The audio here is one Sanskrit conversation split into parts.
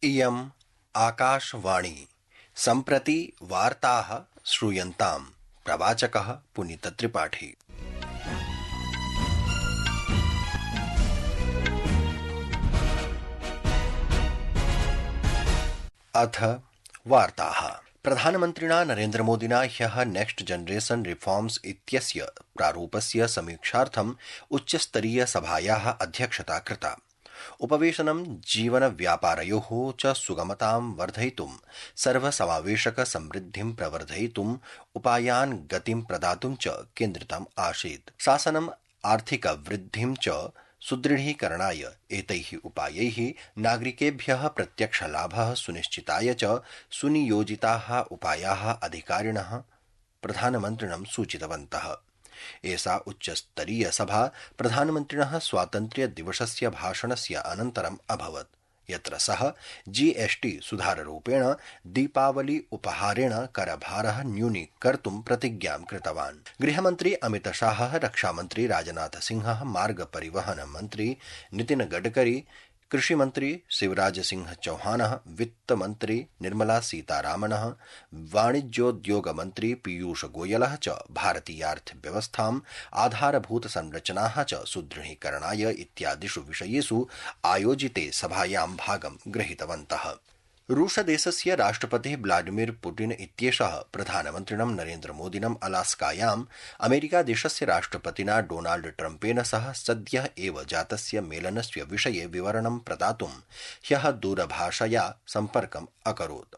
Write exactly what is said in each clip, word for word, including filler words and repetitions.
इयम् आकाशवाणी सम्प्रति वार्ताः श्रूयन्ताम्। प्रवाचकः पुनीतत्रिपाठी। अथ वार्ताः। प्रधानमन्त्रिणा नरेन्द्रमोदिना ह्यः नेक्स्ट जनरेशन रिफॉर्म्स इत्यस्य प्रारूपस्य समीक्षार्थम् उच्चस्तरीय सभायाः अध्यक्षता कृता। उपवेशनं जीवनव्यापारयोः च सुगमतां वर्धयितुं सर्वसमावेशक समृद्धिं प्रवर्धयितुम् उपायान् गतिं प्रदातुं च केन्द्रितम् आसीत्। शासनम् आर्थिकवृद्धिं च सुदृढीकरणाय एतैः उपायैः नागरिकेभ्यः प्रत्यक्षलाभः सुनिश्चिताय च सुनियोजिताः उपायाः अधिकारिणः प्रधानमन्त्रिणं सूचितवन्तः। एषा उच्चस्तरीय सभा प्रधानमन्त्रिणः स्वातन्त्र्य दिवसस्य भाषणस्य अनन्तरम् अभवत्, यत्र सः जीएसटी सुधाररूपेण दीपावली उपहारेण करभारः न्यूनीकर्तुं प्रतिज्ञां कृतवान्। गृहमन्त्री अमितशाहः, रक्षामन्त्री राजनाथसिंहः, मार्ग परिवहन मन्त्री नितिन गडकरी, कृषिमन्त्री शिवराजसिंह चौहानः, वित्तमन्त्री निर्मला सीतारामनः, वाणिज्योद्योगमन्त्री पीयूष गोयलः च भारतीयार्थव्यवस्थाम् आधारभूतसंरचनाः च सुदृढीकरणाय इत्यादिषु विषयेषु आयोजिते सभायां भागं गृहीतवन्तः। रूसदेशस्य राष्ट्रपतिः व्लादिमीर पुतिन इत्येषः प्रधानमन्त्रिणं नरेन्द्रमोदिनम् अलास्कायाम् अमेरिकादेशस्य राष्ट्रपतिना डोनाल्ड ट्रम्पेन सह सद्यः एव जातस्य मेलनस्य विषये विवरणं प्रदातुं ह्यः दूरभाषया सम्पर्कम् अकरोत्।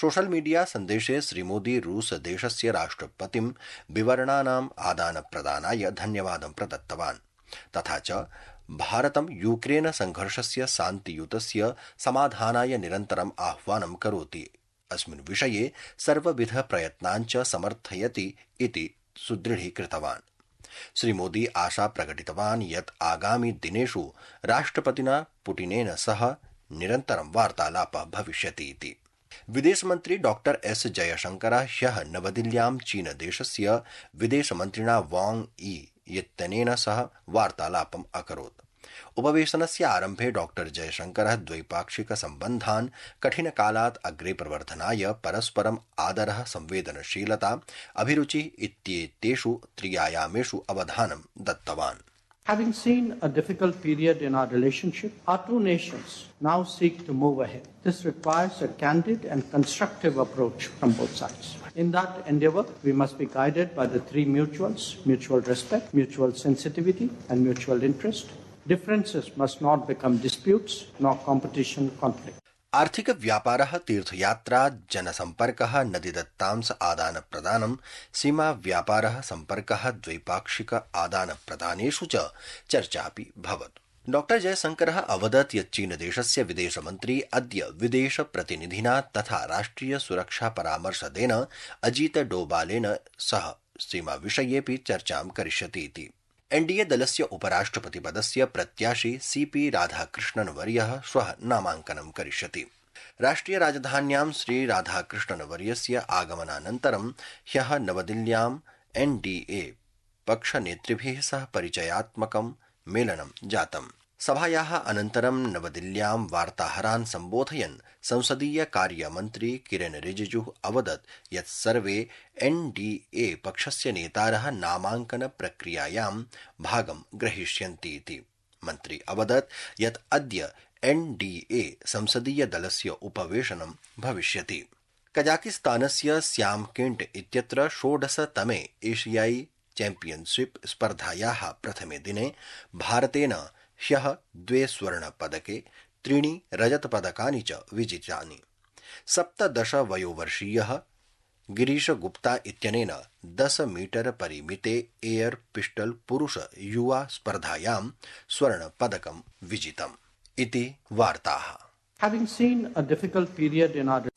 सोशल मीडिया सन्देशे श्रीमोदी रूसदेशस्य राष्ट्रपतिं विवरणानाम् आदानप्रदानाय धन्यवादं प्रदत्तवान्, तथा च भारतं यूक्रेन संघर्षस्य शान्तियुतस्य समाधानाय निरन्तरम् आह्वानं करोति, अस्मिन् विषये सर्वविध प्रयत्नान् च समर्थयति इति सुदृढीकृतवान्। श्रीमोदी आशा प्रकटितवान् यत् आगामि दिनेषु राष्ट्रपतिना पुतिनेन सह निरन्तरं वार्तालापः भविष्यति इति। विदेशमन्त्री डॉक्टर एस जयशंकरः ह्यः नवदिल्ल्यां चीनदेशस्य विदेशमन्त्रिणा वांग यी इत्यनेन सह वार्तालापम् अकरोत्। उपवेशनस्य आरम्भे डॉक्टर जयशंकरः द्वैपाक्षिक सम्बन्धान् कठिनकालात् अग्रे प्रवर्धनाय परस्परम् आदरः, संवेदनशीलता, अभिरुचि इत्येतेषु त्रिआयामेषु अवधानं दत्तवान्। Having seen a difficult period in our relationship, our two nations now seek to move ahead. This requires a candid and constructive approach from both sides. In that endeavor, we must be guided by the three mutuals: mutual respect, mutual sensitivity, and mutual interest. Differences must not become disputes nor competition conflict. आर्थिक व्यापारः, तीर्थयात्रा, जनसम्पर्कः, नदीदत्तांश आदानप्रदानं, सीमा व्यापारः, सम्पर्कः, द्वैपाक्षिक आदानप्रदानेषु च चर्चापि भवत्। डॉक्टर जयशंकरः अवदत् यत् चीनदेशस्य विदेशमन्त्री अद्य विदेश प्रतिनिधिना तथा राष्ट्रिय सुरक्षा परामर्शदेन अजीत डोभालेन सह सीमा विषयेऽपि चर्चां करिष्यति इति। एनडीए दलस्य उपराष्ट्रपतिपदस्य प्रत्याशी सीपी राधाकृष्णन वर्यः श्वः नामाङ्कनं करिष्यति। राष्ट्रिय राजधान्यां श्री राधाकृष्णन वर्यस्य आगमनानन्तरं ह्यः नवदिल्ल्यां एनडीए पक्षनेतृभिः सह परिचयात्मकं मेलनं जातम्। सभायाः अनन्तरं नवदिल्ल्यां वार्ताहरान् सम्बोधयन् संसदीय कार्यमन्त्री किरेन रिजिजुः अवदत् यत् सर्वे एनडीए पक्षस्य नेतारः नामाङ्कन प्रक्रियायां भागं ग्रहीष्यन्ति इति। मन्त्री अवदत् यत् अद्य एनडीए संसदीय दलस्य उपवेशनं भविष्यति। कजाकिस्तानस्य स्यामकिण्ट इत्यत्र षोडशतमे एशियाई चैम्पियनशिप स्पर्धायाः प्रथमे दिने भारतेन ह्यः द्वे स्वर्णपदके त्रीणि रजतपदकानि च विजितानि। सप्तदश वयोवर्षीयः गिरीश गुप्ता इत्यनेन दश मीटर परिमिते एयर पिस्टल पुरुष युवा स्पर्धायां स्वर्णपदकं विजितम् इति वार्ताः। Having seen a difficult period in our